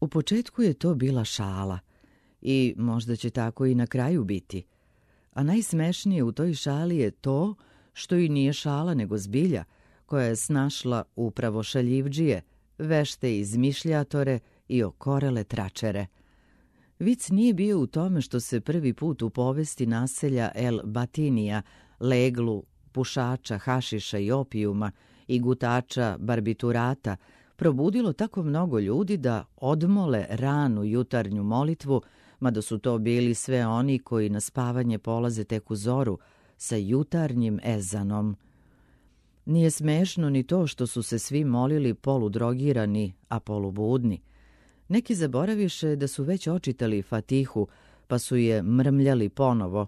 U početku je to bila šala i možda će tako i na kraju biti. A najsmešnije u toj šali je to što i nije šala nego zbilja, koja je snašla upravo šaljivdžije, vešte izmišljatore i okorele tračere. Vic nije bio u tome što se prvi put u povesti naselja El Batinija, leglu, pušača, hašiša i opijuma i gutača barbiturata, probudilo tako mnogo ljudi da odmole ranu jutarnju molitvu, mada su to bili sve oni koji na spavanje polaze tek u zoru sa jutarnjim ezanom. Nije smešno ni to što su se svi molili poludrogirani, a polubudni. Neki zaboraviše da su već očitali Fatihu, pa su je mrmljali ponovo,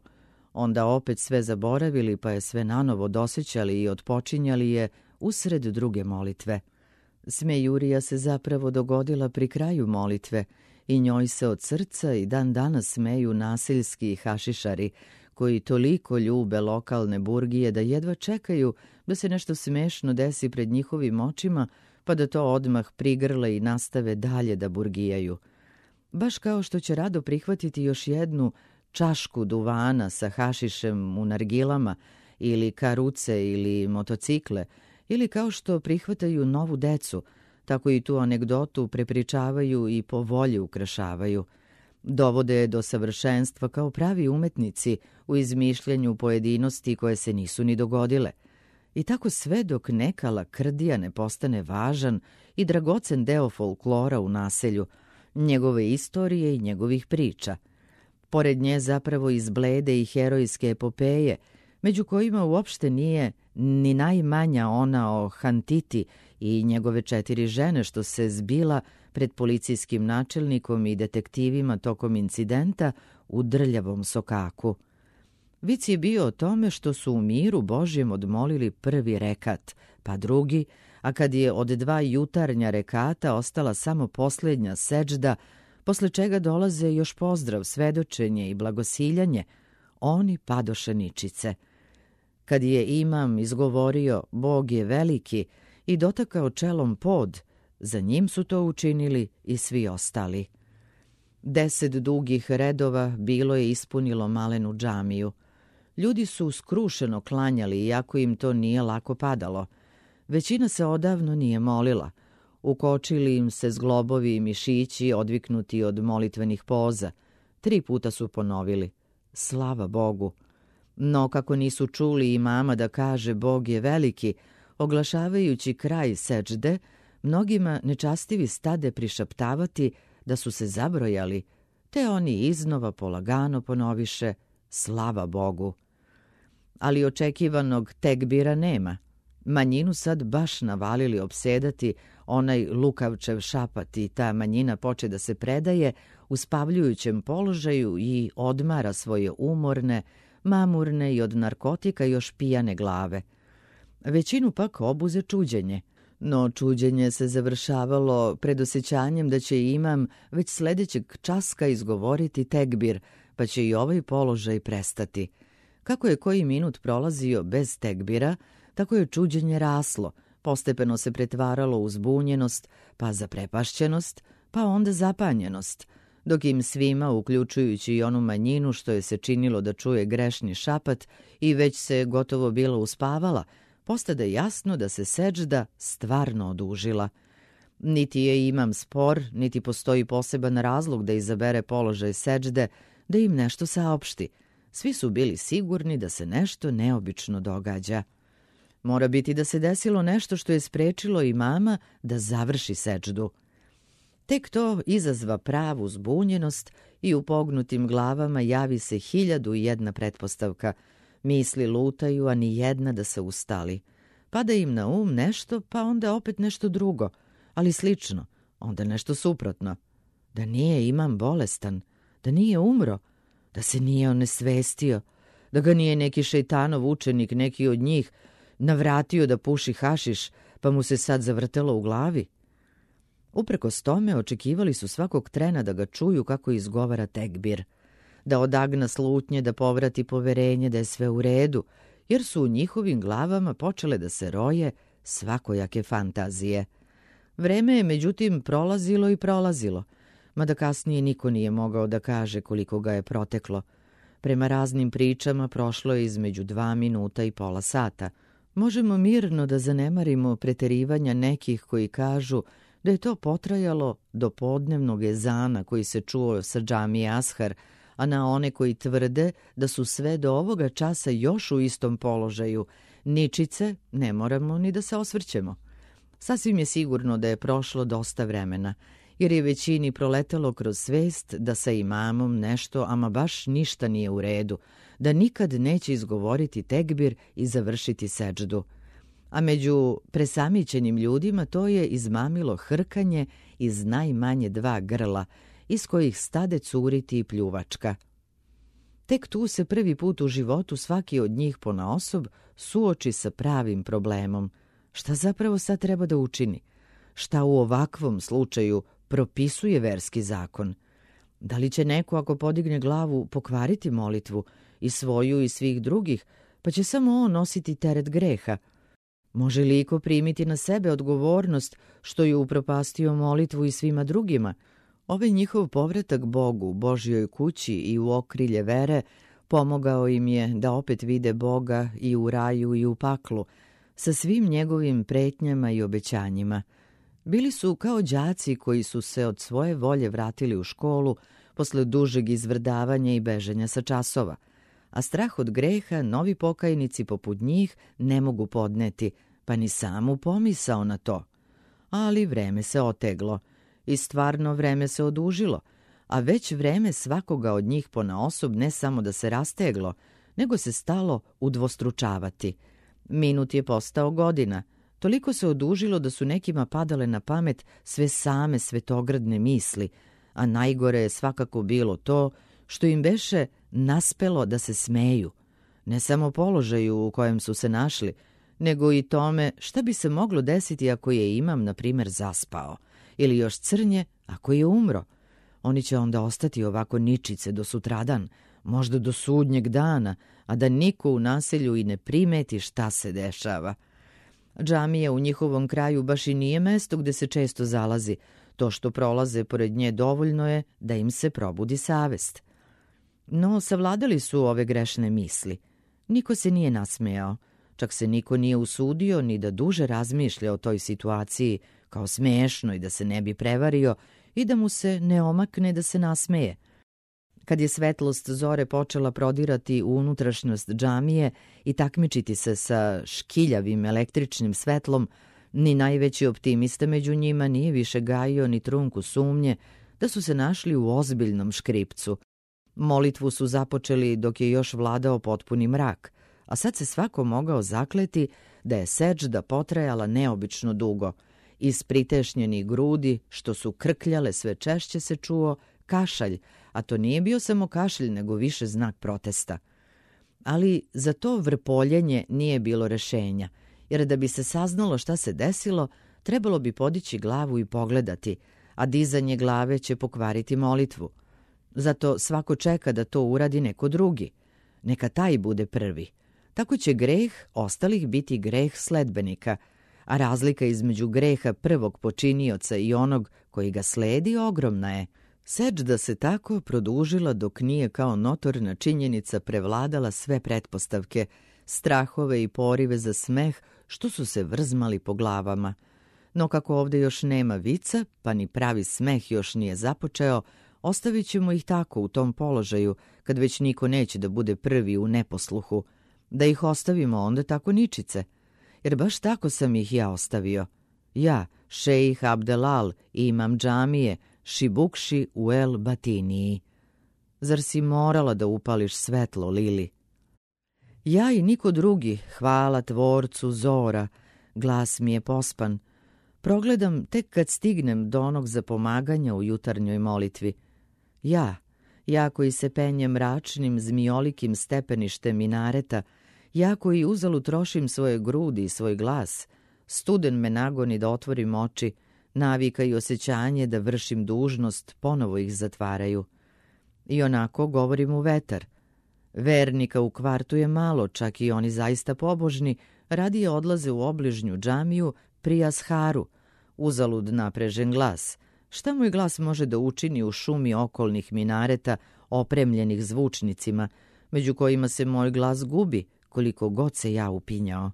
onda opet sve zaboravili, pa je sve nanovo dosećali i otpočinjali je usred druge molitve. Smejurija se zapravo dogodila pri kraju molitve i njoj se od srca i dan danas smeju naseljski hašišari, koji toliko ljube lokalne burgije da jedva čekaju da se nešto smešno desi pred njihovim očima, pa da to odmah prigrle i nastave dalje da burgijaju. Baš kao što će rado prihvatiti još jednu čašku duvana sa hašišem u nargilama ili karuce ili motocikle, ili kao što prihvataju novu decu, tako i tu anegdotu prepričavaju i po volji ukrašavaju. Dovode je do savršenstva kao pravi umetnici u izmišljanju pojedinosti koje se nisu ni dogodile. I tako sve dok neka lakrdija ne postane važan i dragocen deo folklora u naselju, njegove istorije i njegovih priča. Pored nje zapravo izblede i herojske epopeje, među kojima uopšte nije ni najmanja ona o Hantiti i njegove 4 žene što se zbila pred policijskim načelnikom i detektivima tokom incidenta u Drljavom sokaku. Vic je bio o tome što su u miru Božjem odmolili prvi rekat, pa drugi, a kad je od 2 jutarnja rekata ostala samo posljednja seđda, posle čega dolaze još pozdrav, svedočenje i blagosiljanje, oni padoše ničice. Kad je imam izgovorio Bog je veliki i dotakao čelom pod, za njim su to učinili i svi ostali. 10 dugih redova bilo je ispunilo malenu džamiju. Ljudi su skrušeno klanjali, iako im to nije lako padalo. Većina se odavno nije molila. Ukočili im se zglobovi i mišići odviknuti od molitvenih poza. 3 puta su ponovili: slava Bogu. No kako nisu čuli imama da kaže Bog je veliki, oglašavajući kraj seđde, mnogima nečastivi stade prišaptavati da su se zabrojali, te oni iznova polagano ponoviše slava Bogu. Ali očekivanog tekbira nema. Manjinu sad baš navalili opsedati onaj lukavčev šapat i ta manjina poče da se predaje u spavljujućem položaju i odmara svoje umorne, mamurne i od narkotika još pijane glave. Većinu pak obuze čuđenje, no čuđenje se završavalo predosjećanjem da će imam već sledećeg časka izgovoriti tekbir, pa će i ovaj položaj prestati. Kako je koji minut prolazio bez tekbira, tako je čuđenje raslo, postepeno se pretvaralo u zbunjenost, pa zaprepašćenost, pa onda zapanjenost, dok im svima, uključujući i onu manjinu što je se činilo da čuje grešni šapat i već se gotovo bila uspavala, postade jasno da se seđda stvarno odužila. Niti je imam spor, niti postoji poseban razlog da izabere položaj seđde, da im nešto saopšti. Svi su bili sigurni da se nešto neobično događa. Mora biti da se desilo nešto što je sprečilo imama da završi seđdu. Tek to izazva pravu zbunjenost i u pognutim glavama javi se 1001 pretpostavka. Misli lutaju, a ni jedna da se ustali. Pada im na um nešto, pa onda opet nešto drugo, ali slično, onda nešto suprotno. Da nije imam bolestan, da nije umro, da se nije onesvestio, da ga nije neki šejtanov učenik, neki od njih, navratio da puši hašiš, pa mu se sad zavrtelo u glavi. Uprkos tome očekivali su svakog trena da ga čuju kako izgovara tekbir, da odagna slutnje, da povrati poverenje da je sve u redu, jer su u njihovim glavama počele da se roje svakojake fantazije. Vreme je međutim prolazilo i prolazilo, mada kasnije niko nije mogao da kaže koliko ga je proteklo. Prema raznim pričama prošlo je između 2 minuta i pola sata. Možemo mirno da zanemarimo preterivanja nekih koji kažu da je to potrajalo do podnevnog ezana koji se čuo sa džamije Ashar, a na one koji tvrde da su sve do ovoga časa još u istom položaju, ničice, ne moramo ni da se osvrćemo. Sasvim je sigurno da je prošlo dosta vremena, jer je većini proletelo kroz svest da sa imamom nešto, ama baš ništa nije u redu, da nikad neće izgovoriti tekbir i završiti seđdu. A među presamićenim ljudima to je izmamilo hrkanje iz najmanje 2 grla, iz kojih stade curiti i pljuvačka. Tek tu se prvi put u životu svaki od njih ponaosob suoči sa pravim problemom. Šta zapravo sad treba da učini? Šta u ovakvom slučaju propisuje verski zakon? Da li će neko ako podigne glavu pokvariti molitvu i svoju i svih drugih, pa će samo on nositi teret greha? Može li iko primiti na sebe odgovornost što je upropastio molitvu i svima drugima? Ovaj njihov povratak Bogu, Božjoj kući i u okrilje vere pomogao im je da opet vide Boga i u raju i u paklu, sa svim njegovim pretnjama i obećanjima. Bili su kao đaci koji su se od svoje volje vratili u školu posle dužeg izvrdavanja i beženja sa časova, a strah od greha novi pokajnici poput njih ne mogu podneti, pa ni samu pomisao na to. Ali vreme se oteglo i stvarno vreme se odužilo, a već vreme svakoga od njih ponaosob ne samo da se rasteglo, nego se stalo udvostručavati. Minut je postao godina, toliko se odužilo da su nekima padale na pamet sve same svetogradne misli, a najgore je svakako bilo to što im beše naspelo da se smeju, ne samo položaju u kojem su se našli, nego i tome šta bi se moglo desiti ako je imam, na primjer, zaspao, ili još crnje ako je umro. Oni će onda ostati ovako ničice do sutradan, možda do sudnjeg dana, a da niko u naselju i ne primeti šta se dešava. Džamija u njihovom kraju baš i nije mesto gde se često zalazi. To što prolaze pored nje dovoljno je da im se probudi savest. No, savladali su ove grešne misli. Niko se nije nasmejao, čak se niko nije usudio ni da duže razmišlja o toj situaciji kao smešno i da se ne bi prevario i da mu se ne omakne da se nasmeje. Kad je svetlost zore počela prodirati u unutrašnjost džamije i takmičiti se sa škiljavim električnim svetlom, ni najveći optimista među njima nije više gajio ni trunku sumnje da su se našli u ozbiljnom škripcu. Molitvu su započeli dok je još vladao potpuni mrak, a sad se svako mogao zakleti da je seđda potrajala neobično dugo. Iz pritešnjenih grudi, što su krkljale sve češće, se čuo kašalj, a to nije bio samo kašalj, nego više znak protesta. Ali za to vrpoljenje nije bilo rešenja, jer da bi se saznalo šta se desilo, trebalo bi podići glavu i pogledati, a dizanje glave će pokvariti molitvu. Zato svako čeka da to uradi neko drugi. Neka taj bude prvi. Tako će greh ostalih biti greh sledbenika, a razlika između greha prvog počinioca i onog koji ga sledi ogromna je. Seđda se tako produžila dok nije kao notorna činjenica prevladala sve pretpostavke, strahove i porive za smeh što su se vrzmali po glavama. No kako ovdje još nema vica, pa ni pravi smeh još nije započeo, ostavit ćemo ih tako u tom položaju, kad već niko neće da bude prvi u neposluhu. Da ih ostavimo onda tako ničice. Jer baš tako sam ih ja ostavio. Ja, šejih Abdelal i imam džamije, Šibukši u El Batiniji. Zar si morala da upališ svetlo, Lili? Ja i niko drugi, hvala tvorcu zora, glas mi je pospan. Progledam tek kad stignem do onog zapomaganja u jutarnjoj molitvi. Ja koji se penjem mračnim zmijolikim stepeništem minareta, ja koji uzalud trošim svoje grudi i svoj glas, studen me nagoni da otvorim oči, navika i osjećanje da vršim dužnost ponovo ih zatvaraju. I onako govorim u vetar. Vernika u kvartu je malo, čak i oni zaista pobožni, radije odlaze u obližnju džamiju pri Asharu, uzalud naprežen glas. Šta moj glas može da učini u šumi okolnih minareta opremljenih zvučnicima, među kojima se moj glas gubi koliko god se ja upinjao?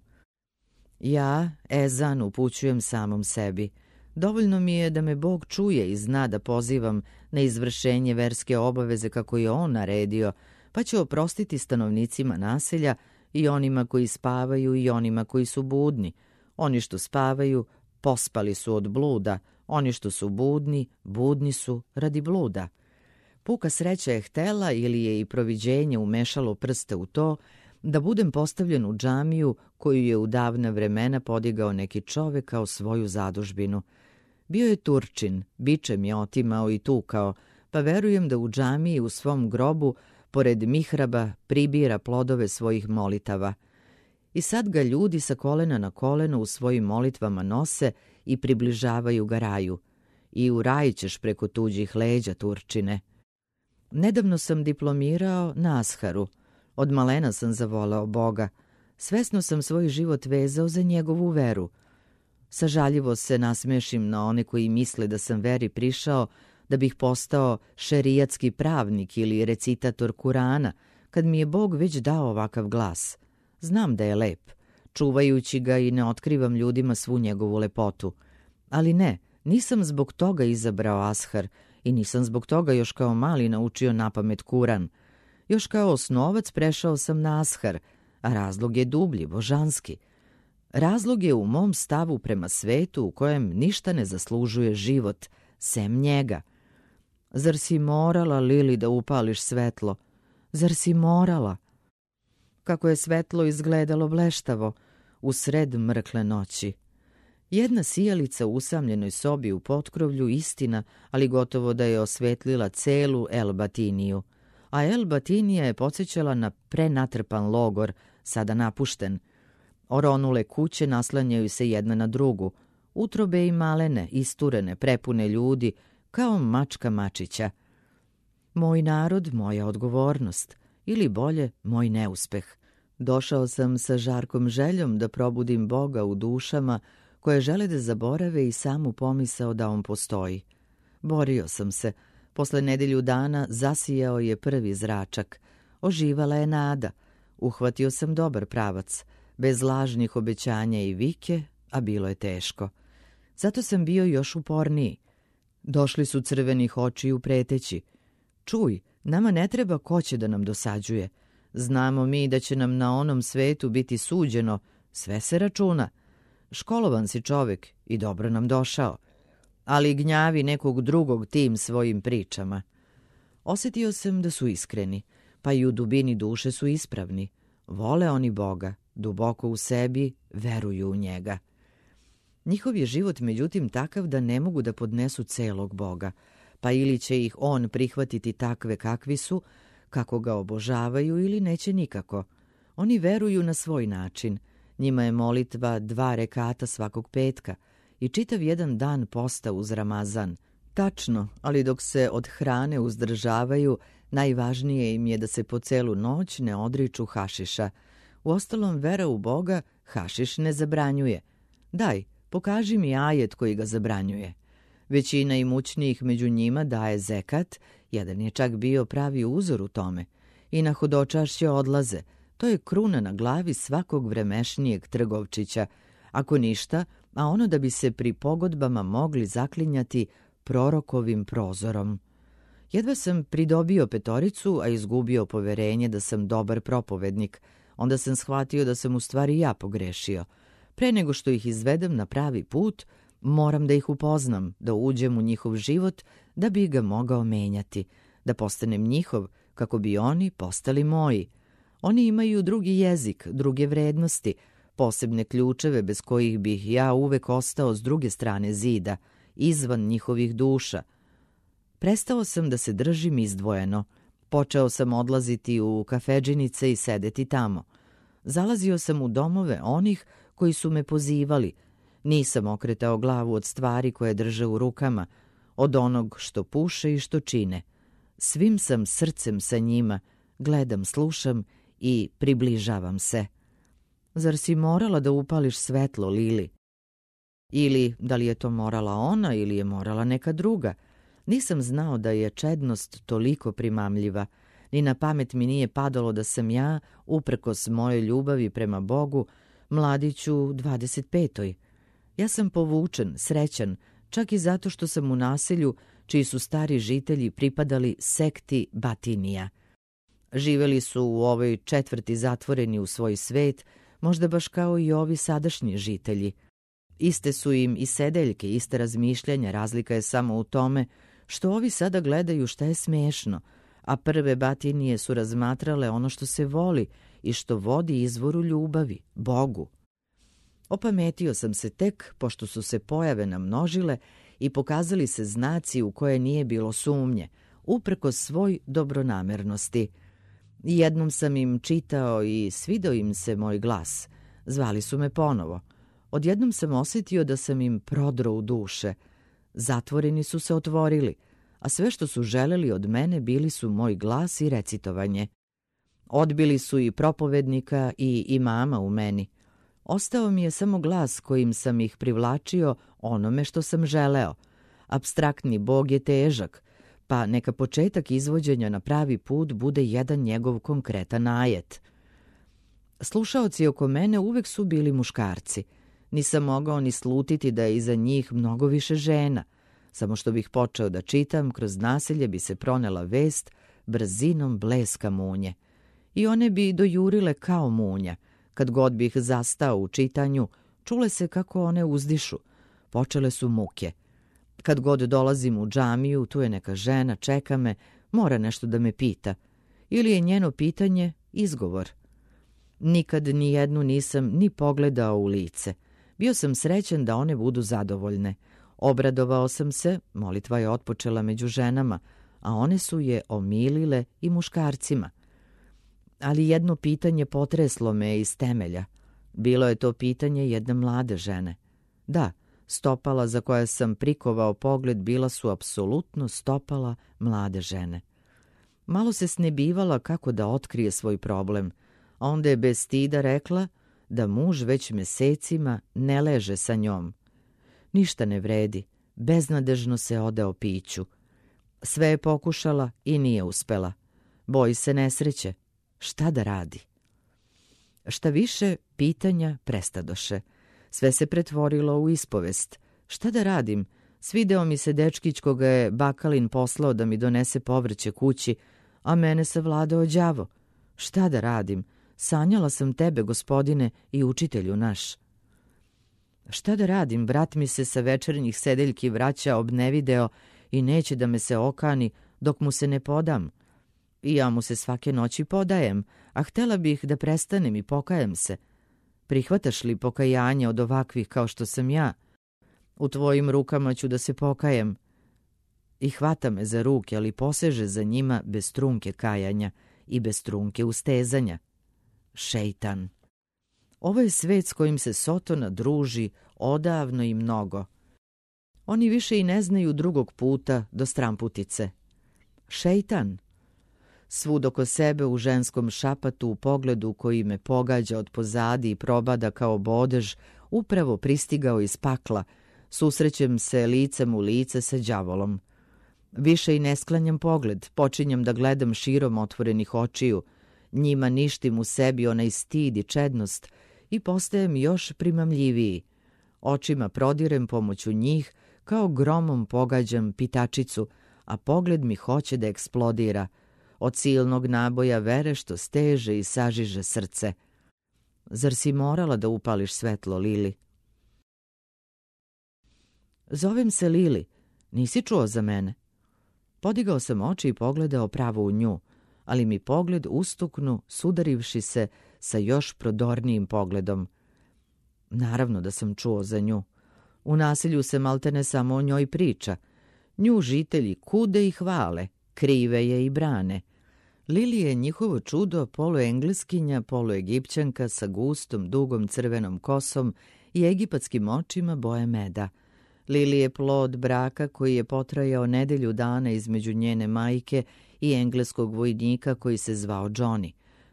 Ja, ezan, upućujem samom sebi. Dovoljno mi je da me Bog čuje i zna da pozivam na izvršenje verske obaveze kako je on naredio, pa će oprostiti stanovnicima naselja i onima koji spavaju i onima koji su budni. Oni što spavaju, pospali su od bluda, oni što su budni, budni su radi bluda. Puka sreća je htela ili je i proviđenje umešalo prste u to da budem postavljen u džamiju koju je u davna vremena podigao neki čovek kao svoju zadužbinu. Bio je Turčin, bičem je otimao i tukao, pa verujem da u džamiji u svom grobu, pored mihraba, pribira plodove svojih molitava. I sad ga ljudi sa kolena na koleno u svojim molitvama nose i približavaju ga raju. I u raj ćeš preko tuđih leđa, Turčine. Nedavno sam diplomirao na Asharu. Od malena sam zavoleo Boga. Svesno sam svoj život vezao za njegovu veru. Sažaljivo se nasmešim na one koji misle da sam veri prišao da bih postao šerijatski pravnik ili recitator Kurana, kad mi je Bog već dao ovakav glas. Znam da je lep, čuvajući ga i ne otkrivam ljudima svu njegovu lepotu. Ali ne, nisam zbog toga izabrao Ashar i nisam zbog toga još kao mali naučio napamet Kuran. Još kao osnovac prešao sam na Ashar, a razlog je dublji, božanski. Razlog je u mom stavu prema svetu u kojem ništa ne zaslužuje život, sem njega. Zar si morala, Lili, da upališ svetlo? Zar si morala? Kako je svetlo izgledalo bleštavo u sred mrkle noći. Jedna sijalica u usamljenoj sobi u potkrovlju, istina, ali gotovo da je osvetlila celu El Batiniju. A El Batinija je podsjećala na prenatrpan logor, sada napušten. Oronule kuće naslanjaju se jedna na drugu, utrobe i malene, isturene, prepune ljudi, kao mačka mačića. Moj narod, moja odgovornost, ili bolje, moj neuspeh. Došao sam sa žarkom željom da probudim Boga u dušama koje žele da zaborave i samu pomisao da on postoji. Borio sam se. Posle nedelju dana zasijao je prvi zračak. Oživala je nada. Uhvatio sam dobar pravac, bez lažnih obećanja i vike, a bilo je teško. Zato sam bio još uporniji. Došli su crvenih očiju preteći. Čuj, nama ne treba ko će da nam dosađuje. Znamo mi da će nam na onom svetu biti suđeno, sve se računa. Školovan si čovek i dobro nam došao. Ali gnjavi nekog drugog tim svojim pričama. Osjetio sam da su iskreni, pa i u dubini duše su ispravni. Vole oni Boga, duboko u sebi veruju u njega. Njihov je život međutim takav da ne mogu da podnesu celog Boga, pa ili će ih on prihvatiti takve kakvi su, kako ga obožavaju, ili neće nikako. Oni veruju na svoj način. Njima je molitva 2 rekata svakog petka i čitav jedan dan posta uz Ramazan. Tačno, ali dok se od hrane uzdržavaju, najvažnije im je da se po celu noć ne odriču hašiša. Uostalom, vera u Boga hašiš ne zabranjuje. Daj, pokaži mi ajet koji ga zabranjuje. Većina imućnijih među njima daje zekat, jedan je čak bio pravi uzor u tome. I na hodočašće odlaze. To je kruna na glavi svakog vremešnijeg trgovčića. Ako ništa, a ono da bi se pri pogodbama mogli zaklinjati prorokovim prozorom. Jedva sam pridobio 5, a izgubio poverenje da sam dobar propovednik. Onda sam shvatio da sam u stvari ja pogrešio. Pre nego što ih izvedem na pravi put, moram da ih upoznam, da uđem u njihov život, da bi ga mogao menjati, da postanem njihov, kako bi oni postali moji. Oni imaju drugi jezik, druge vrednosti, posebne ključeve bez kojih bih ja uvek ostao s druge strane zida, izvan njihovih duša. Prestao sam da se držim izdvojeno. Počeo sam odlaziti u kafedžinice i sedeti tamo. Zalazio sam u domove onih koji su me pozivali. Nisam okretao glavu od stvari koje drže u rukama, od onog što puše i što čine. Svim sam srcem sa njima, gledam, slušam i približavam se. Zar si morala da upališ svetlo, Lili? Ili da li je to morala ona ili je morala neka druga. Nisam znao da je čednost toliko primamljiva. Ni na pamet mi nije padalo da sam ja, uprkos mojoj ljubavi prema Bogu, mladić u 25. Ja sam povučen, srećan, čak i zato što sam u naselju čiji su stari žitelji pripadali sekti Batinija. Živeli su u ovoj četvrti zatvoreni u svoj svet, možda baš kao i ovi sadašnji žitelji. Iste su im i sedeljke, iste razmišljanja, razlika je samo u tome što ovi sada gledaju šta je smešno, a prve Batinije su razmatrale ono što se voli i što vodi izvoru ljubavi, Bogu. Opametio sam se tek, pošto su se pojave namnožile i pokazali se znaci u koje nije bilo sumnje, uprkos svoj dobronamernosti. Jednom sam im čitao i svidao im se moj glas. Zvali su me ponovo. Odjednom sam osjetio da sam im prodro u duše. Zatvoreni su se otvorili, a sve što su želeli od mene bili su moj glas i recitovanje. Odbili su i propovednika i imama u meni. Ostao mi je samo glas kojim sam ih privlačio onome što sam želeo. Apstraktni Bog je težak, pa neka početak izvođenja na pravi put bude jedan njegov konkretan ajet. Slušaoci oko mene uvek su bili muškarci. Nisam mogao ni slutiti da je iza njih mnogo više žena. Samo što bih počeo da čitam, kroz naselje bi se pronela vest brzinom bleska munje. I one bi dojurile kao munja. Kad god bih zastao u čitanju, čule se kako one uzdišu. Počele su muke. Kad god dolazim u džamiju, tu je neka žena, čeka me, mora nešto da me pita. Ili je njeno pitanje izgovor. Nikad ni jednu nisam ni pogledao u lice. Bio sam srećan da one budu zadovoljne. Obradovao sam se, molitva je otpočela među ženama, a one su je omilile i muškarcima. Ali jedno pitanje potreslo me iz temelja. Bilo je to pitanje jedne mlade žene. Da, stopala za koje sam prikovao pogled bila su apsolutno stopala mlade žene. Malo se snebivala kako da otkrije svoj problem, a onda je bez stida rekla da muž već mesecima ne leže sa njom. Ništa ne vredi, beznadežno se odao piću. Sve je pokušala i nije uspela. Boji se nesreće. Šta da radi? Šta više, pitanja prestadoše. Sve se pretvorilo u ispovest. Šta da radim? Svideo mi se dečkić koga je Bakalin poslao da mi donese povrće kući, a mene savladao đavo. Šta da radim? Sanjala sam tebe, gospodine i učitelju naš. Šta da radim? Brat mi se sa večernjih sedeljki vraća obnevideo i neće da me se okani dok mu se ne podam. I ja mu se svake noći podajem, a htela bih da prestanem i pokajem se. Prihvataš li pokajanje od ovakvih kao što sam ja? U tvojim rukama ću da se pokajem. I hvata me za ruke, ali poseže za njima bez trunke kajanja i bez trunke ustezanja. Šejtan. Ovo je svet s kojim se Sotona druži odavno i mnogo. Oni više i ne znaju drugog puta do stramputice. Šejtan. Svud oko sebe u ženskom šapatu u pogledu koji me pogađa od pozadi i probada kao bodež, upravo pristigao iz pakla, susrećem se licem u lice sa đavolom. Više i ne sklanjam pogled, počinjem da gledam širom otvorenih očiju, njima ništim u sebi onaj stid i čednost i postajem još primamljiviji. Očima prodirem pomoću njih, kao gromom pogađam pitačicu, a pogled mi hoće da eksplodira, od silnog naboja vere što steže i sažiže srce. Zar si morala da upališ svetlo, Lili? Zovem se Lili. Nisi čuo za mene? Podigao sam oči i pogledao pravo u nju, ali mi pogled ustuknu, sudarivši se sa još prodornijim pogledom. Naravno da sam čuo za nju. U naselju se maltene samo o njoj priča. Nju žitelji kude i hvale, krive je i brane. Lili je njihovo čudo, poluengleskinja, poluegipćanka sa gustom, dugom crvenom kosom i egipatskim očima boje meda. Lili je plod braka koji je potrajao nedelju dana između njene majke i engleskog vojnika koji se zvao Johnny.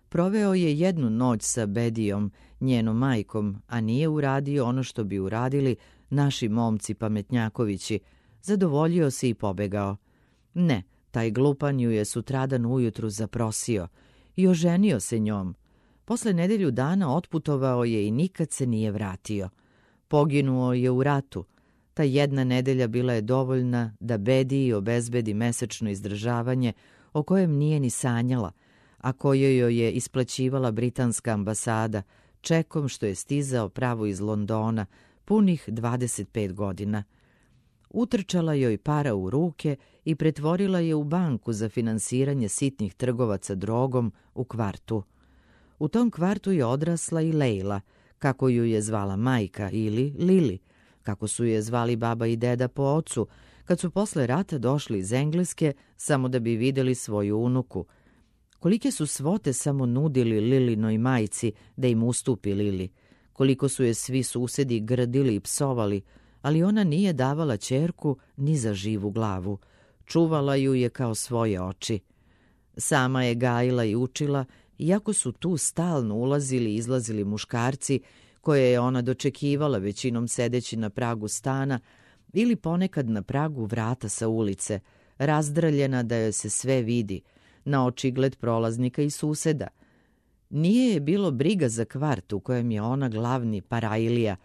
Proveo je jednu noć sa Bedijom, njenom majkom, a nije uradio ono što bi uradili naši momci pametnjakovići, zadovoljio se i pobegao. Ne, taj glupan ju je sutradan ujutru zaprosio i oženio se njom. Posle nedelju dana otputovao je i nikad se nije vratio. Poginuo je u ratu. Ta jedna nedelja bila je dovoljna da Bediji obezbedi mesečno izdržavanje o kojem nije ni sanjala, a koje joj je isplaćivala britanska ambasada, čekom što je stizao pravo iz Londona, punih 25 godina. Utrčala joj para u ruke i pretvorila je u banku za finansiranje sitnih trgovaca drogom u kvartu. U tom kvartu je odrasla i Lejla, kako ju je zvala majka, ili Lili, kako su je zvali baba i deda po ocu, kad su posle rata došli iz Engleske samo da bi videli svoju unuku. Kolike su svote samo nudili Lilinoj majci da im ustupi Lili, koliko su je svi susedi grdili i psovali, ali ona nije davala ćerku ni za živu glavu. Čuvala ju je kao svoje oči. Sama je gajila i učila, iako su tu stalno ulazili i izlazili muškarci, koje je ona dočekivala većinom sedeći na pragu stana ili ponekad na pragu vrata sa ulice, razdraljena da joj se sve vidi, na očigled prolaznika i suseda. Nije je bilo briga za kvart u kojem je ona glavni parajlija,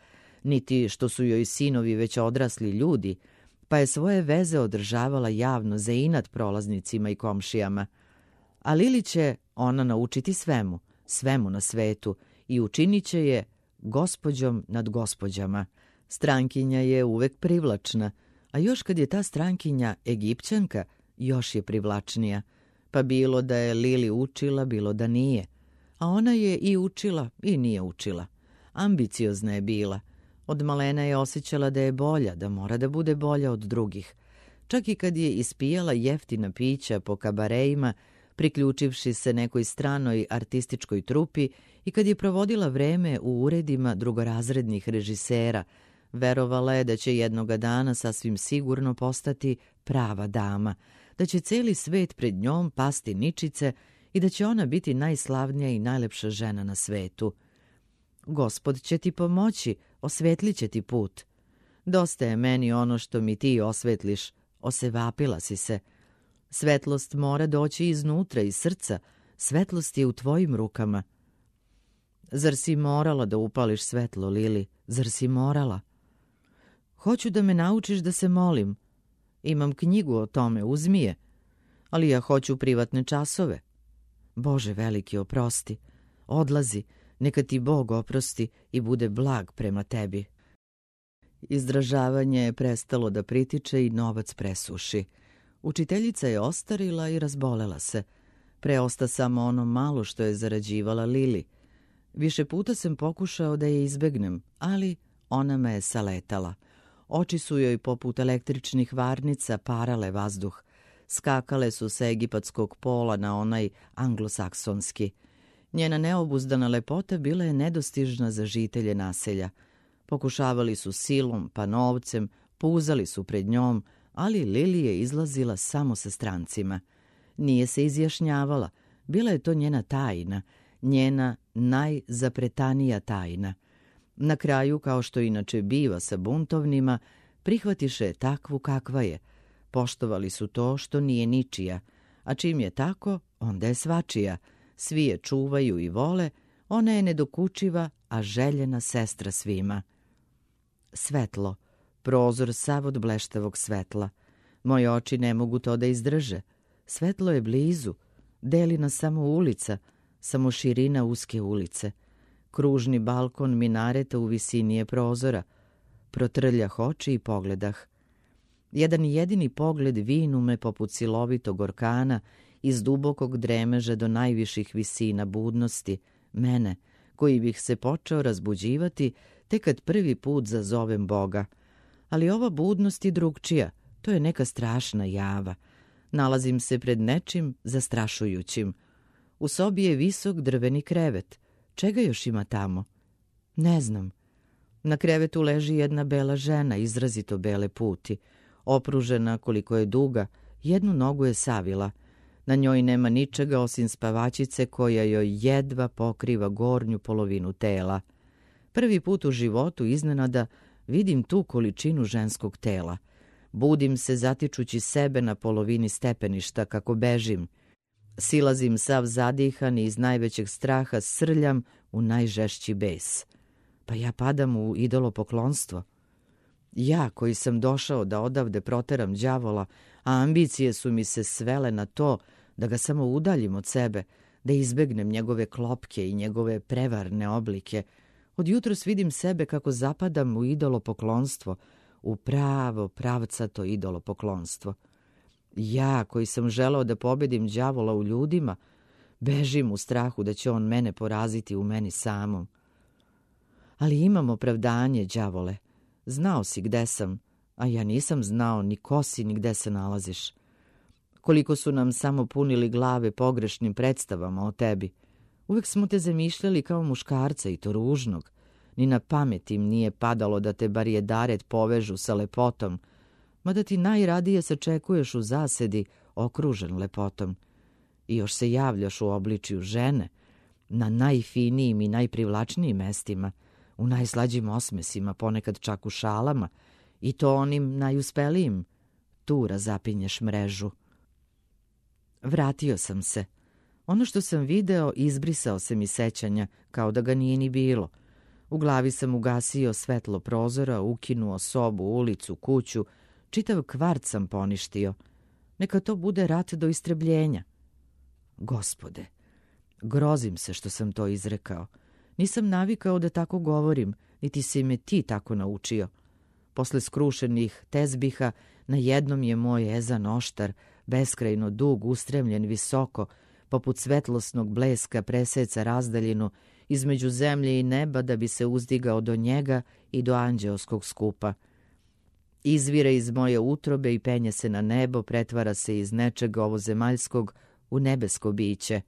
niti što su joj sinovi već odrasli ljudi, pa je svoje veze održavala javno za inat prolaznicima i komšijama. A Lili će ona naučiti svemu na svetu i učinit će je gospođom nad gospođama. Strankinja je uvek privlačna, a još kad je ta strankinja Egipćanka, još je privlačnija. Pa bilo da je Lili učila, bilo da nije. A ona je i učila i nije učila. Ambiciozna je bila. Od malena je osjećala da je bolja, da mora da bude bolja od drugih. Čak i kad je ispijala jeftina pića po kabareima, priključivši se nekoj stranoj artističkoj trupi i kad je provodila vreme u uredima drugorazrednih režisera, verovala je da će jednoga dana sasvim sigurno postati prava dama, da će celi svet pred njom pasti ničice i da će ona biti najslavnija i najlepša žena na svetu. Gospod će ti pomoći, osvetlit će ti put. Dosta je meni ono što mi ti osvetliš, osevapila si se. Svetlost mora doći iznutra, iz srca, svetlost je u tvojim rukama. Zar si morala da upališ svetlo, Lili? Zar si morala? Hoću da me naučiš da se molim. Imam knjigu o tome, uzmi je. Ali ja hoću privatne časove. Bože veliki, oprosti. Odlazi, neka ti Bog oprosti i bude blag prema tebi. Izdražavanje je prestalo da pritiče i novac presuši. Učiteljica je ostarila i razbolela se. Preosta samo ono malo što je zarađivala Lili. Više puta sam pokušao da je izbegnem, ali ona me je saletala. Oči su joj poput električnih varnica parale vazduh. Skakale su sa egipatskog pola na onaj anglosaksonski. Njena neobuzdana lepota bila je nedostižna za žitelje naselja. Pokušavali su silom, pa novcem, puzali su pred njom, ali Lili je izlazila samo sa strancima. Nije se izjašnjavala, bila je to njena tajna, njena najzapretanija tajna. Na kraju, kao što inače biva sa buntovnima, prihvatiše je takvu kakva je. Poštovali su to što nije ničija, a čim je tako, onda je svačija. Svi je čuvaju i vole, ona je nedokučiva, a željena sestra svima. Svetlo, prozor sav od bleštavog svetla. Moje oči ne mogu to da izdrže. Svetlo je blizu, deli nas samo ulica, samo širina uske ulice. Kružni balkon minareta u visini je prozora. Protrljah oči i pogledah. Jedan jedini pogled vinu me poput silovitog orkana iz dubokog dremeža do najviših visina budnosti, mene, koji bih se počeo razbuđivati tek kad prvi put zazovem Boga. Ali ova budnost je drugčija, to je neka strašna java. Nalazim se pred nečim zastrašujućim. U sobi je visok drveni krevet. Čega još ima tamo? Ne znam. Na krevetu leži jedna bela žena, izrazito bele puti. Opružena koliko je duga, jednu nogu je savila. Na njoj nema ničega osim spavačice koja joj jedva pokriva gornju polovinu tela. Prvi put u životu iznenada vidim tu količinu ženskog tela. Budim se zatičući sebe na polovini stepeništa kako bežim. Silazim sav zadihan i iz najvećeg straha srljam u najžešći bes. Pa ja padam u idolopoklonstvo. Ja koji sam došao da odavde proteram đavola, a ambicije su mi se svele na to da ga samo udaljim od sebe, da izbegnem njegove klopke i njegove prevarne oblike. Od jutros vidim sebe kako zapadam u idolopoklonstvo, u pravo pravcato idolopoklonstvo. Ja koji sam želeo da pobedim đavola u ljudima, bežim u strahu da će on mene poraziti u meni samom. Ali imam opravdanje, đavole. Znao si gde sam, a ja nisam znao ni ko si ni gde se nalaziš. Koliko su nam samo punili glave pogrešnim predstavama o tebi. Uvek smo te zamišljali kao muškarca i to ružnog. Ni na pamet im nije padalo da te barijedaret povežu sa lepotom, mada ti najradije sačekuješ u zasedi okružen lepotom. I još se javljaš u obličju žene, na najfinijim i najprivlačnijim mestima, u najslađim osmesima, ponekad čak u šalama, i to onim najuspelijim. Tu razapinješ mrežu. Vratio sam se. Ono što sam video izbrisao se mi sećanja, kao da ga nije ni bilo. U glavi sam ugasio svetlo prozora, ukinuo sobu, ulicu, kuću, čitav kvart sam poništio. Neka to bude rat do istrebljenja. Gospode, grozim se što sam to izrekao. Nisam navikao da tako govorim, niti si me ti tako naučio. Posle skrušenih tezbiha, na jednom je moj ezan oštar, beskrajno dug, ustremljen visoko, poput svetlosnog bleska preseca razdaljinu između zemlje i neba da bi se uzdigao do njega i do anđeoskog skupa. Izvire iz moje utrobe i penje se na nebo, pretvara se iz nečeg ovozemaljskog u nebesko biće.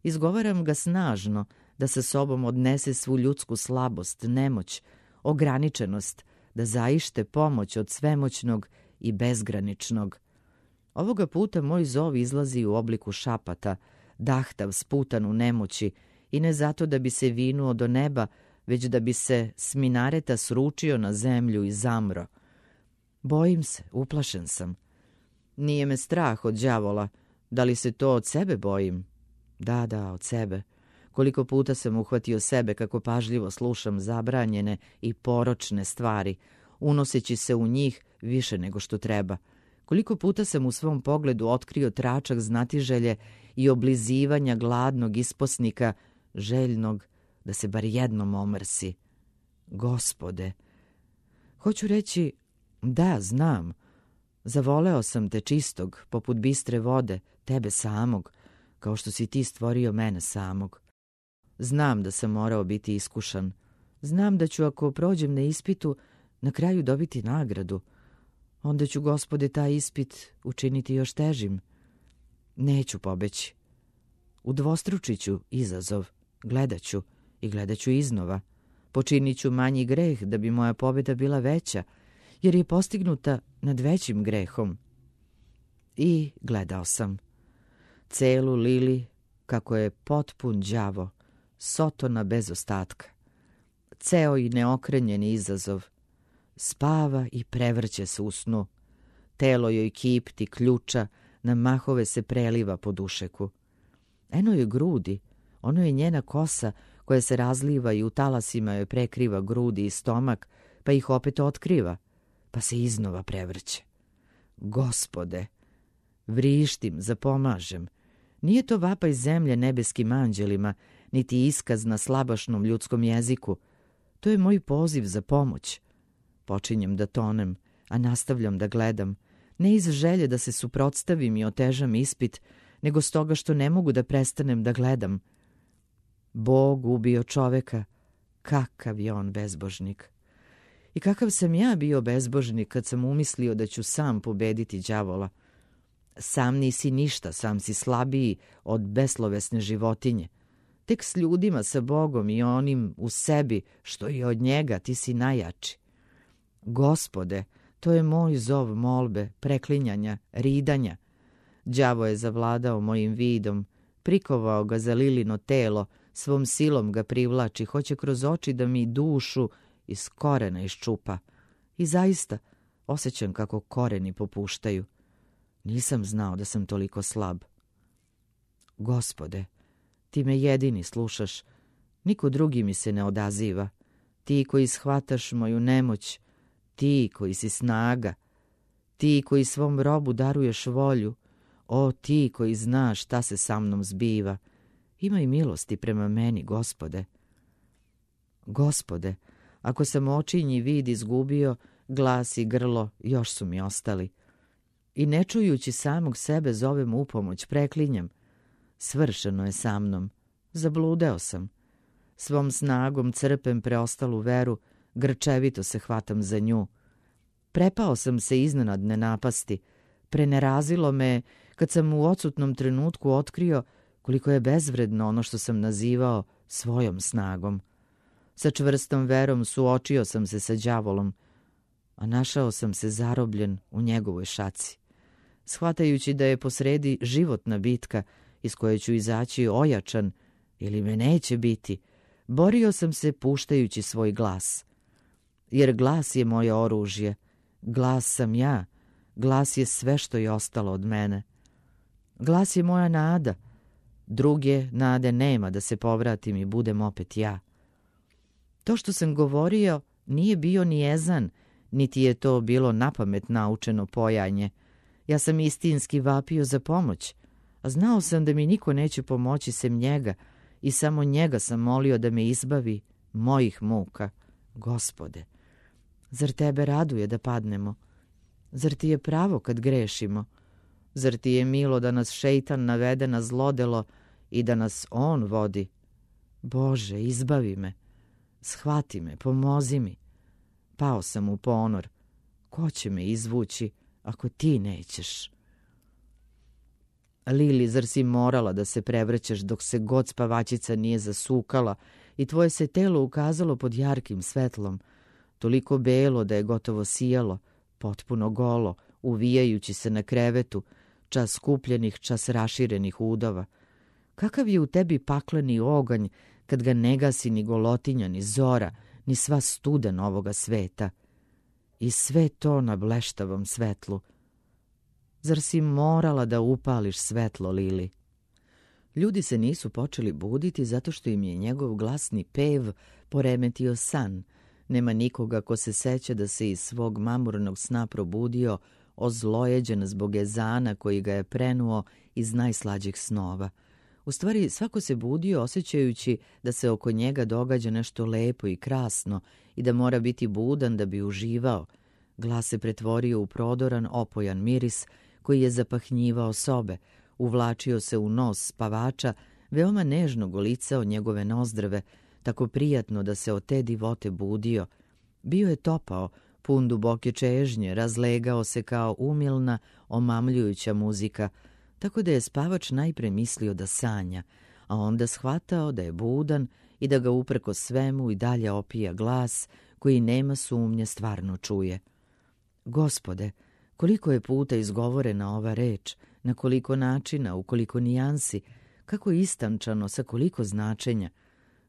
Izgovaram ga snažno, da sa sobom odnese svu ljudsku slabost, nemoć, ograničenost, da zaište pomoć od svemoćnog i bezgraničnog. Ovoga puta moj zov izlazi u obliku šapata, dahtav, sputan u nemoći, i ne zato da bi se vinuo do neba, već da bi se s minareta sručio na zemlju i zamro. Bojim se, uplašen sam. Nije me strah od đavola. Da li se to od sebe bojim? Da, od sebe. Koliko puta sam uhvatio sebe kako pažljivo slušam zabranjene i poročne stvari, unoseći se u njih više nego što treba. Koliko puta sam u svom pogledu otkrio tračak znatiželje i oblizivanja gladnog isposnika, željnog da se bar jednom omrsi. Gospode, hoću reći, da, znam, zavoleo sam te čistog, poput bistre vode, tebe samog, kao što si ti stvorio mene samog. Znam da sam morao biti iskušan. Znam da ću, ako prođem na ispitu, na kraju dobiti nagradu. Onda ću, Gospode, taj ispit učiniti još težim. Neću pobeći. Udvostručit ću izazov. Gledaću i gledaću iznova. Počinit ću manji greh da bi moja pobjeda bila veća, jer je postignuta nad većim grehom. I gledao sam. Celu Lili, kako je potpun đavo, Sotona bez ostatka. Ceo i neokrenjeni izazov. Spava i prevrće se u snu. Telo joj kipti, ključa, na mahove se preliva po dušeku. Eno joj grudi, ono je njena kosa koja se razliva i u talasima joj prekriva grudi i stomak, pa ih opet otkriva, pa se iznova prevrće. Gospode, vrištim, zapomažem. Nije to vapaj zemlje nebeskim anđelima, niti iskaz na slabašnom ljudskom jeziku. To je moj poziv za pomoć. Počinjem da tonem, a nastavljam da gledam, ne iz želje da se suprotstavim i otežam ispit, nego stoga što ne mogu da prestanem da gledam. Bog ubio čoveka, kakav je on bezbožnik. I kakav sam ja bio bezbožnik kad sam umislio da ću sam pobediti đavola. Sam nisi ništa, sam si slabiji od beslovesne životinje. Tek s ljudima, sa Bogom i onim u sebi što je od njega, ti si najjači. Gospode, to je moj zov molbe, preklinjanja, ridanja. Đavo je zavladao mojim vidom, prikovao ga za Lilino telo, svom silom ga privlači, hoće kroz oči da mi dušu iz korena iščupa. I zaista osjećam kako koreni popuštaju. Nisam znao da sam toliko slab. Gospode, ti me jedini slušaš, niko drugi mi se ne odaziva. Ti koji shvataš moju nemoć, ti koji si snaga, ti koji svom robu daruješ volju, o ti koji znaš šta se sa mnom zbiva, imaj milosti prema meni, Gospode. Gospode, ako sam očinji vid izgubio, glas i grlo još su mi ostali. I ne čujući samog sebe zovem upomoć, preklinjam. Svršeno je sa mnom, zabludeo sam. Svom snagom crpem preostalu veru, grčevito se hvatam za nju. Prepao sam se iznenadne napasti. Prenerazilo me kad sam u odsutnom trenutku otkrio koliko je bezvredno ono što sam nazivao svojom snagom. Sa čvrstom verom suočio sam se sa đavolom, a našao sam se zarobljen u njegovoj šaci. Shvatajući da je posredi životna bitka iz koje ću izaći ojačan ili me neće biti, borio sam se puštajući svoj glas. Jer glas je moje oružje, glas sam ja, glas je sve što je ostalo od mene. Glas je moja nada, druge nade nema da se povratim i budem opet ja. To što sam govorio nije bio ni ezan, niti je to bilo napamet naučeno pojanje. Ja sam istinski vapio za pomoć, a znao sam da mi niko neće pomoći sem njega i samo njega sam molio da me izbavi mojih muka. Gospode, zar tebe raduje da padnemo? Zar ti je pravo kad grešimo? Zar ti je milo da nas šejtan navede na zlodelo i da nas on vodi? Bože, izbavi me, shvati me, pomozi mi. Pao sam u ponor. Ko će me izvući ako ti nećeš? Lili, zar si morala da se prevrćeš dok se god spavačica nije zasukala i tvoje se telo ukazalo pod jarkim svetlom, toliko belo da je gotovo sijalo, potpuno golo, uvijajući se na krevetu, čas skupljenih, čas raširenih udova. Kakav je u tebi pakleni oganj kad ga ne gasi ni golotinja, ni zora, ni sva studen ovoga sveta? I sve to na bleštavom svetlu. Zar si morala da upališ svetlo, Lili? Ljudi se nisu počeli buditi zato što im je njegov glasni pev poremetio san. Nema nikoga ko se seća da se iz svog mamurnog sna probudio, ozlojeđen zbog ezana koji ga je prenuo iz najslađih snova. U stvari, svako se budio osjećajući da se oko njega događa nešto lepo i krasno i da mora biti budan da bi uživao. Glas se pretvorio u prodoran, opojan miris koji je zapahnjivao sobe, uvlačio se u nos spavača, veoma nežno golicao njegove nozdrve, tako prijatno da se od te divote budio. Bio je topao, pun duboke čežnje, razlegao se kao umilna, omamljujuća muzika, tako da je spavač najpre mislio da sanja, a onda shvatao da je budan i da ga uprko svemu i dalje opija glas koji nema sumnje stvarno čuje. Gospode, koliko je puta izgovorena ova reč, na koliko načina, u koliko nijansi, kako istančano, sa koliko značenja,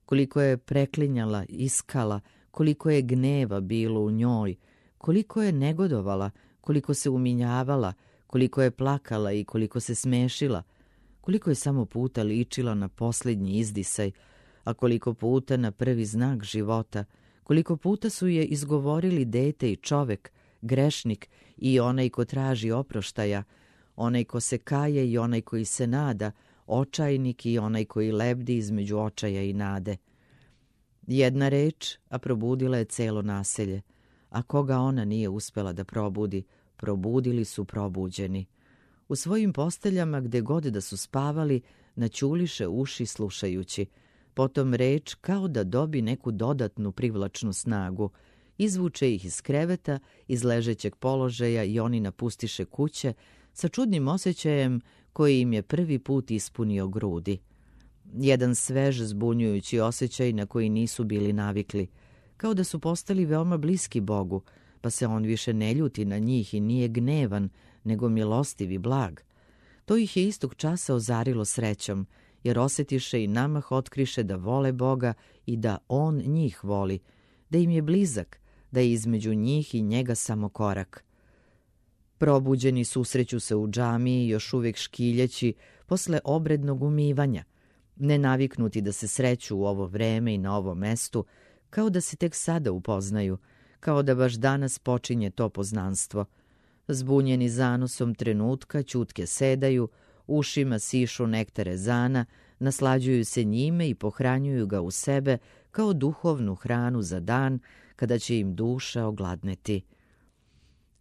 koliko je preklinjala, iskala, koliko je gneva bilo u njoj, koliko je negodovala, koliko se uminjavala, koliko je plakala i koliko se smešila, koliko je samo puta ličila na posljednji izdisaj, a koliko puta na prvi znak života, koliko puta su je izgovorili dete i čovek, grešnik i onaj ko traži oproštaja, onaj ko se kaje i onaj koji se nada, očajnik i onaj koji lebdi između očaja i nade. Jedna reč, a probudila je celo naselje, a koga ona nije uspela da probudi, probudili su probuđeni. U svojim posteljama gde god da su spavali, naćuliše uši slušajući. Potom reč kao da dobi neku dodatnu privlačnu snagu. Izvuče ih iz kreveta, iz ležećeg položaja i oni napustiše kuće sa čudnim osjećajem koji im je prvi put ispunio grudi. Jedan svež, zbunjujući osjećaj na koji nisu bili navikli, kao da su postali veoma bliski Bogu, pa se on više ne ljuti na njih i nije gnevan, nego milostiv i blag. To ih je istog časa ozarilo srećom, jer osjetiše i namah otkriše da vole Boga i da on njih voli, da im je blizak, da je između njih i njega samo korak. Probuđeni susreću se u džamiji, još uvijek škiljeći posle obrednog umivanja, nenaviknuti da se sreću u ovo vreme i na ovom mestu, kao da se tek sada upoznaju, kao da baš danas počinje to poznanstvo. Zbunjeni zanosom trenutka, ćutke sedaju, ušima sišu nektar ezana, naslađuju se njime i pohranjuju ga u sebe kao duhovnu hranu za dan kada će im duša ogladneti.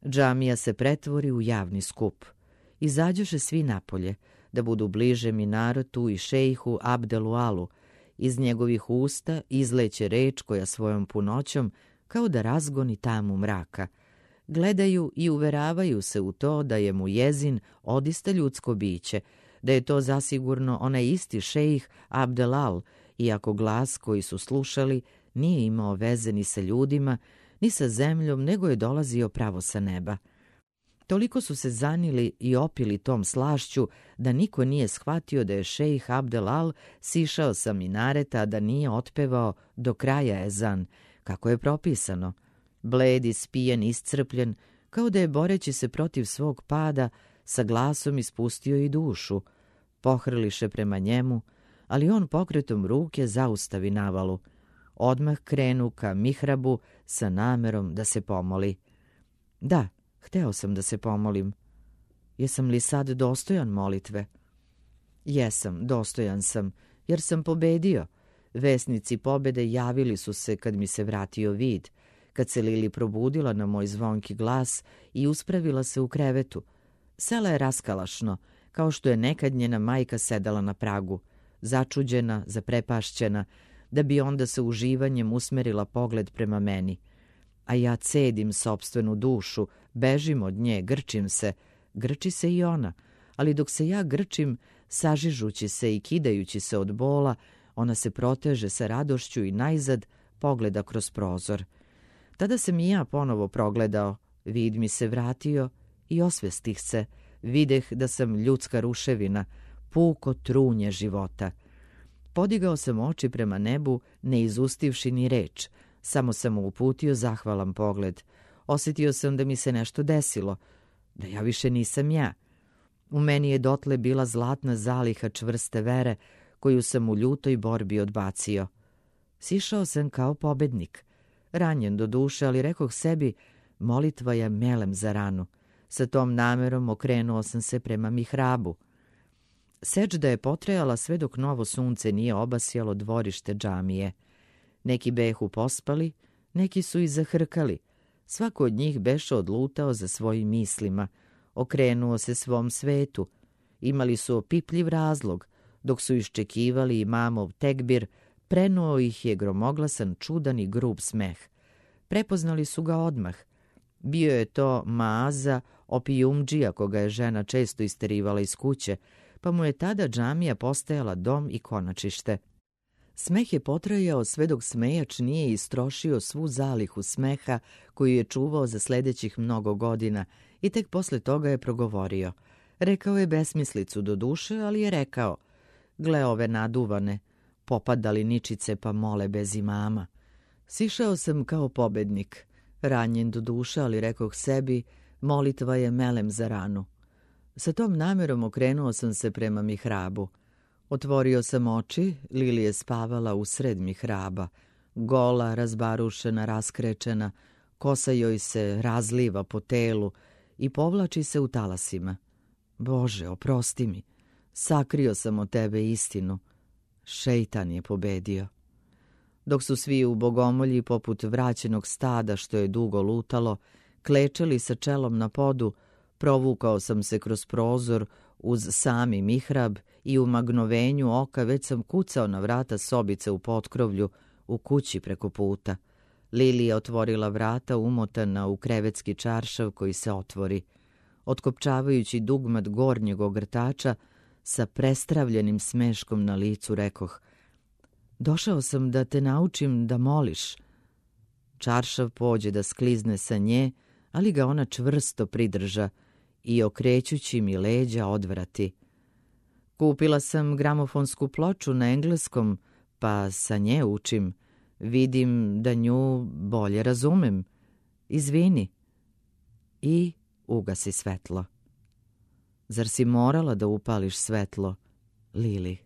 Džamija se pretvori u javni skup. Izađoše svi napolje, da budu bliže minaretu i šejhu Abdelu Alu. Iz njegovih usta izleće reč koja svojom punoćom kao da razgoni tamu mraka. Gledaju i uveravaju se u to da je muezin odista ljudsko biće, da je to zasigurno onaj isti šejh Abdel Al, iako glas koji su slušali nije imao veze ni sa ljudima, ni sa zemljom, nego je dolazio pravo sa neba. Toliko su se zanili i opili tom slašću da niko nije shvatio da je šejh Abdel Al sišao sa minareta, da nije otpevao do kraja ezan, kako je propisano. Bled, ispijen, iscrpljen, kao da je boreći se protiv svog pada, sa glasom ispustio i dušu. Pohrliše prema njemu, ali on pokretom ruke zaustavi navalu. Odmah krenu ka mihrabu sa namerom da se pomoli. Da, hteo sam da se pomolim. Jesam li sad dostojan molitve? Jesam, dostojan sam, jer sam pobedio. Vesnici pobede javili su se kad mi se vratio vid, kad se Lili probudila na moj zvonki glas i uspravila se u krevetu. Sela je raskalašno, kao što je nekad njena majka sedala na pragu, začuđena, zaprepašćena, da bi onda sa uživanjem usmerila pogled prema meni. A ja cedim sopstvenu dušu, bežim od nje, grčim se. Grči se i ona, ali dok se ja grčim, sažižući se i kidajući se od bola, ona se proteže sa radošću i najzad pogleda kroz prozor. Tada sam i ja ponovo progledao, vid mi se vratio i osvestih se, videh da sam ljudska ruševina, puko trunje života. Podigao sam oči prema nebu, ne izustivši ni reč, samo sam mu uputio zahvalan pogled. Osjetio sam da mi se nešto desilo, da ja više nisam ja. U meni je dotle bila zlatna zaliha čvrste vere, koju sam u ljutoj borbi odbacio. Sišao sam kao pobednik, ranjen do duše, ali rekoh sebi, molitva je melem za ranu. Sa tom namerom okrenuo sam se prema mihrabu. Seđda je potrajala sve dok novo sunce nije obasjalo dvorište džamije. Neki behu pospali, neki su i zahrkali. Svako od njih beše odlutao za svojim mislima, okrenuo se svom svetu. Imali su opipljiv razlog, dok su iščekivali imamov tekbir, prenuo ih je gromoglasan, čudan i grub smeh. Prepoznali su ga odmah. Bio je to Maaza, opijumdžija koga je žena često isterivala iz kuće, pa mu je tada džamija postajala dom i konačište. Smeh je potrajao sve dok smejač nije istrošio svu zalihu smeha koju je čuvao za sljedećih mnogo godina i tek posle toga je progovorio. Rekao je besmislicu do duše, ali je rekao, gle ove naduvane, popadali ničice pa mole bez imama. Sišao sam kao pobednik, ranjen do duše, ali rekoh sebi, molitva je melem za ranu. Sa tom namerom okrenuo sam se prema mihrabu. Otvorio sam oči, Lili je spavala usred mihraba, gola, razbarušena, raskrečena, kosa joj se razliva po telu i povlači se u talasima. Bože, oprosti mi, sakrio sam od tebe istinu. Šejtan je pobedio. Dok su svi u bogomolji poput vraćenog stada što je dugo lutalo, klečali sa čelom na podu, provukao sam se kroz prozor uz sami mihrab i u magnovenju oka već sam kucao na vrata sobice u potkrovlju u kući preko puta. Lili je otvorila vrata umotana u krevetski čaršav koji se otvori. Otkopčavajući dugmat gornjeg ogrtača, sa prestravljenim smeškom na licu rekoh, došao sam da te naučim da moliš. Čaršav pođe da sklizne sa nje, ali ga ona čvrsto pridrža i okrećući mi leđa odvrati. Kupila sam gramofonsku ploču na engleskom, pa sa nje učim. Vidim da nju bolje razumem. Izvini. I ugasi svetlo. Zar si morala da upališ svetlo, Lili?